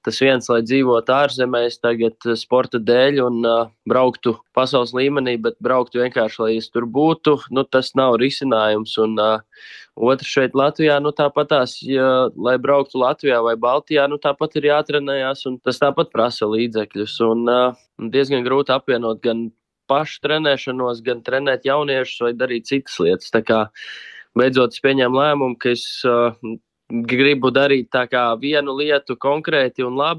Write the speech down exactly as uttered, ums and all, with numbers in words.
tas viens, lai dzīvotu ārzemēs tagad sporta dēļ un uh, brauktu pasaules līmenī, bet brauktu vienkārši, lai es tur būtu, nu, tas nav risinājums. Un uh, otrs šeit Latvijā, nu, tāpatās, ja, lai brauktu Latvijā vai Baltijā, nu, tāpat ir jātrenējās, un tas tāpat prasa līdzekļus. Un uh, diezgan grūti apvienot gan pašu trenēšanos, gan trenēt jauniešus vai darīt citas lietas. Tā kā beidzot es pieņēmu lēmumu, ka es uh, gribu darīt tā kā vienu lietu konkrēti un labi,